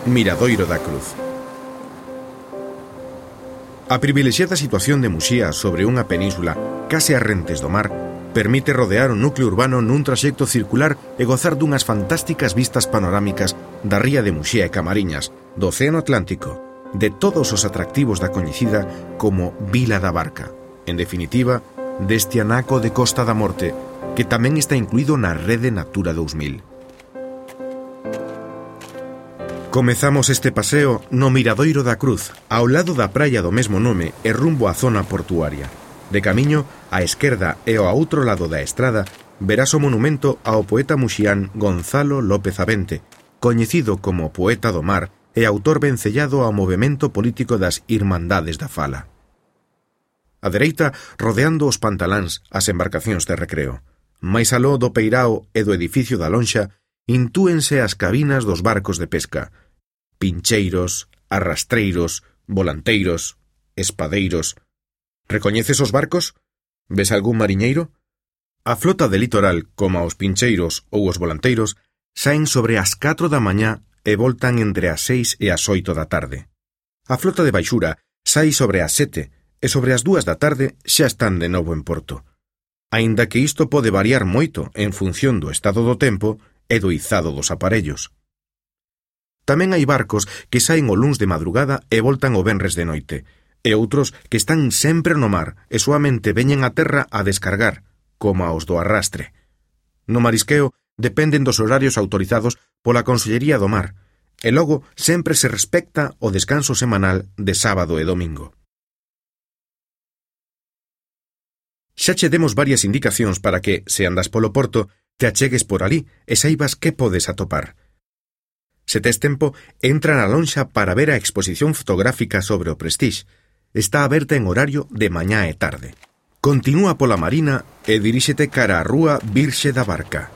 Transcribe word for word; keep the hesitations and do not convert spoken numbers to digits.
Miradoiro da Cruz. A privilexiada situación de Muxía sobre unha península case a rentes do mar permite rodear o núcleo urbano nun traxecto circular e gozar dunhas fantásticas vistas panorámicas da ría de Muxía e Camariñas, do Océano Atlántico, de todos os atractivos da coñecida como Vila da Barca, en definitiva, deste anaco de Costa da Morte, que tamén está incluído na Rede Natura dous mil. Comezamos este paseo no Miradoiro da Cruz, ao lado da praia do mesmo nome e rumbo á zona portuaria. De camiño, á esquerda e ao outro lado da estrada, verás o monumento ao poeta muxián Gonzalo López Avente, coñecido como poeta do mar e autor vencellado ao movemento político das Irmandades da Fala. A dereita, rodeando os pantaláns, as embarcacións de recreo. Mais aló do peirao e do edificio da lonxa, intúense as cabinas dos barcos de pesca. Pincheiros, arrastreiros, volanteiros, espadeiros. Recoñeces os barcos? Ves algún mariñeiro? A flota de litoral, como os pincheiros ou os volanteiros, saen sobre as catro da mañá e voltan entre as seis e as oito da tarde. A flota de baixura sai sobre as sete e sobre as dúas da tarde xa están de novo en porto. Aínda que isto pode variar moito en función do estado do tempo e do izado dos aparellos. Tamén hai barcos que saen o luns de madrugada e voltan o venres de noite, e outros que están sempre no mar e soamente veñen a terra a descargar, como aos do arrastre. No marisqueo dependen dos horarios autorizados pola Consellería do Mar, e logo sempre se respecta o descanso semanal de sábado e domingo. Xa che demos varias indicacións para que, se andas polo porto, te achegues por ali e saibas que podes atopar. Se tes tempo, entra na lonxa para ver a exposición fotográfica sobre o Prestige. Está aberta en horario de mañá e tarde. Continúa pola marina e diríxete cara á rúa Virxe da Barca.